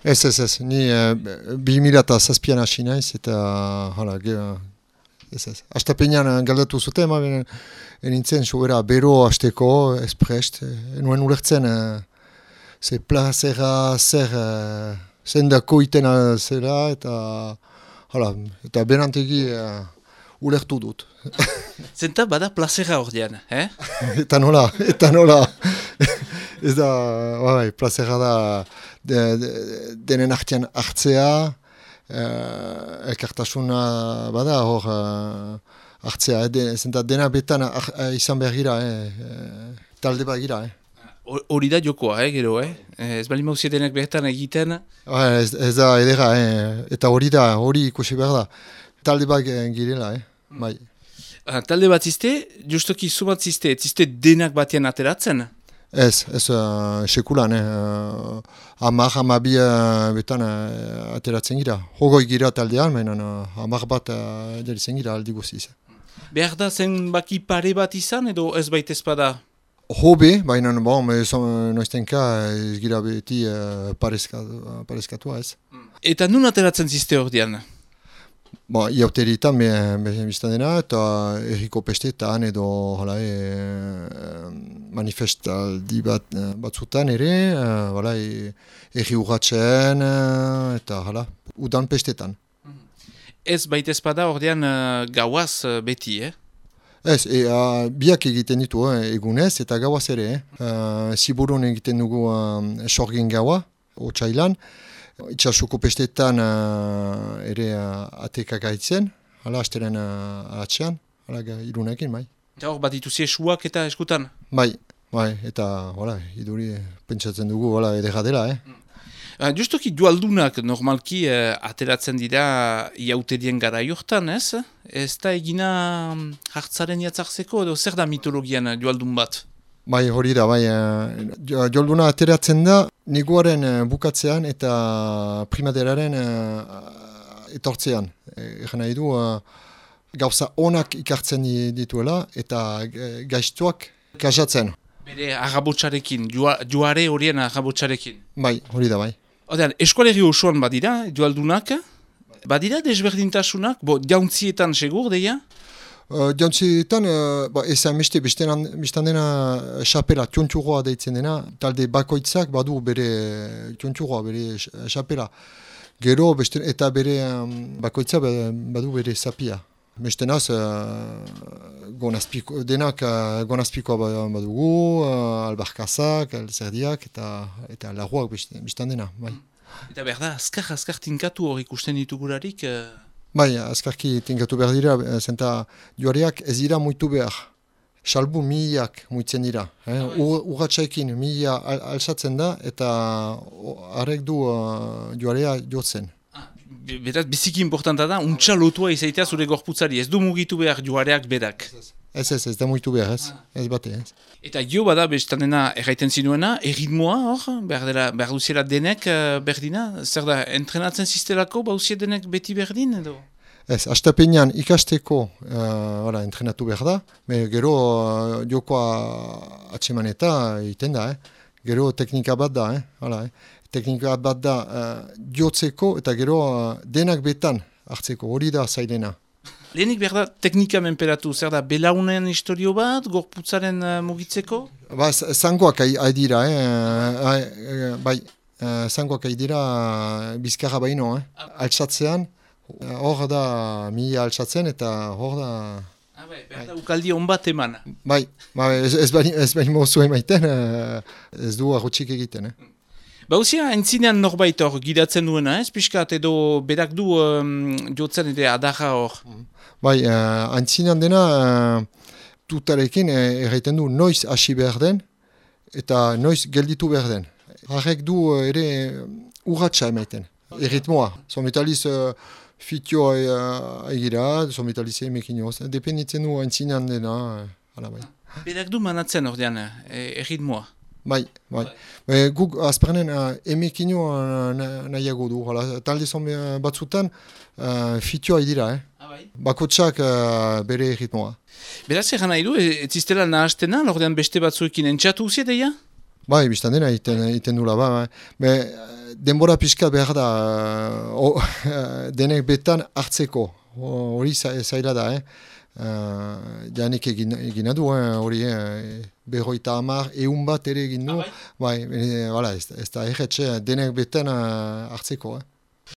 Ez, ni 2007an hasi naiz, eta hala, ez. Astapenean galdatu zuten, nintzen sobera bero hasteko, esprest, nuen ulertzen, ze plazera zendako itena zera, eta benantegi ulertu dut. Zenta bada plazera ordean, eh? Eta nola. Ez da, plazera da denen artean hartzea, elkartasuna bada hor hartzea, zenta dena betan izan behar gira, talde bat gira. Hori da jokoa, gero, ez bali mauzia denak behetan egiten. Ez da edera, eta hori ikusi behar da. Talde bat girela, bai. Talde bat ziste, justoki zumat ziste denak batean ateratzen? Ez, sekulan, amabi betan ateratzen gira. Hogoi gira taldean, menan amar bat delitzen gira aldi guziz. Behar da zen baki pare bat izan edo ez baita ezpada? Hobe, baina noiztenka ez gira beti parezkatua ez. Eta nun ateratzen ziste ordean? Iauteritan biztan dena, eta erriko pestetan edo manifestaldi batzutan ere, erri urratzen, eta udan pestetan. Ez baita ezpada ordean gauaz beti, Ez, biak egiten ditu egunez eta gauaz ere. Ziburun egiten dugu sorgin gaua, otsailan. Itxasuko pestetan ere atekak gaitzen, asteren atxean, irunekin, bai. Eta hor bat dituzi esuak eta eskutan? Bai, eta iduri pentsatzen dugu edera dela, Justoki dualdunak normalki ateratzen dira iauterien gara jortan, ez? Ez da egina hartzaren jatzartzeko edo zer da mitologian dualdun bat? Bai, hori da, jolduna ateratzen da neguaren bukatzean eta primaderaren etortzean. Egan nahi du, gauza onak ikartzen dituela eta gaiztuak kasatzen. Bere agabotxarekin, joare horien agabotxarekin. Bai, hori da, bai. Odean, eskualegi osoan badira, dualdunak, badira desberdintasunak, jauntzietan segur, deia? Jauntzietan, ezan bestan dena xapela, tionturoa deitzen dena, talde bakoitzak badu bere tionturoa, bere xapela. Gero, eta bere bakoitzak badu bere zapia. Bestenaz, denak gonazpikoa badugu, albarkazak, alzerdiak eta laguak bestan dena. Bai. Eta berda, azkar tinkatu hor ikusten ditugularik? Bai, azkarki tinkatu behar dira, zenta joareak ez dira muitu behar. Salbu mihiak muitzen dira. Urratxaekin mihia alzatzen da eta harrek du joarea jotzen. Beraz, biziki importanta da, untxa lotua izaitea zure gorputzari, ez du mugitu behar joareak berak. Ez da mugitu behar, ez bate. Eta gio bada, bestan dena erraiten zinuena, erritmoa hor, behar duziela denek berdina? Zer da, entrenatzen ziztelako, bauzie denek beti berdin edo? Ez, astapenean ikasteko entrenatu behar da, gero jokoa atsemaneta egiten da, gero teknika bat da, teknika bat da jotzeko eta gero denak betan hartzeko, hori da zailena. Lehenik behar da teknika menperatu, zer da belaunen historio bat, gorputzaren mugitzeko? Zangoak haidira, zangoak haidira bizkarra baino, altsatzean, hor da mila altsatzen eta hor da... Behar da ukaldi hon bat eman. Bai, ez baino mozu emaiten, ez du arrotxik egiten, Bauzia, entzinean norbait hor gidatzen duena, ez pixkat, edo berak du jotzen edo adarra hor? Bai, entzinean dena tutarekin erraiten du noiz hasi behar den eta noiz gelditu behar den. Harrek du ere urratxa emaiten, erritmoa. Zometaliz fitioa egira, zometaliz emekinoz, dependitzen du entzinean dena. Berak du manatzen ordean, erritmoa? Bai. Guk azpernen emekino nahiago du. Talde zon batzutan fitioa idira. Bakotsak bere ritmoa. Beraz egan nahi du, ez iztela nahaztena, ordean beste batzuekin entxatu uzie deia? Bai, biztan dena iten dula, denbora pixka behar da denek betan hartzeko, hori zaila da, janik egina du, hori berroita hamar, eun bat ere egin du, bai, ez da erretxe denek betan hartzeko.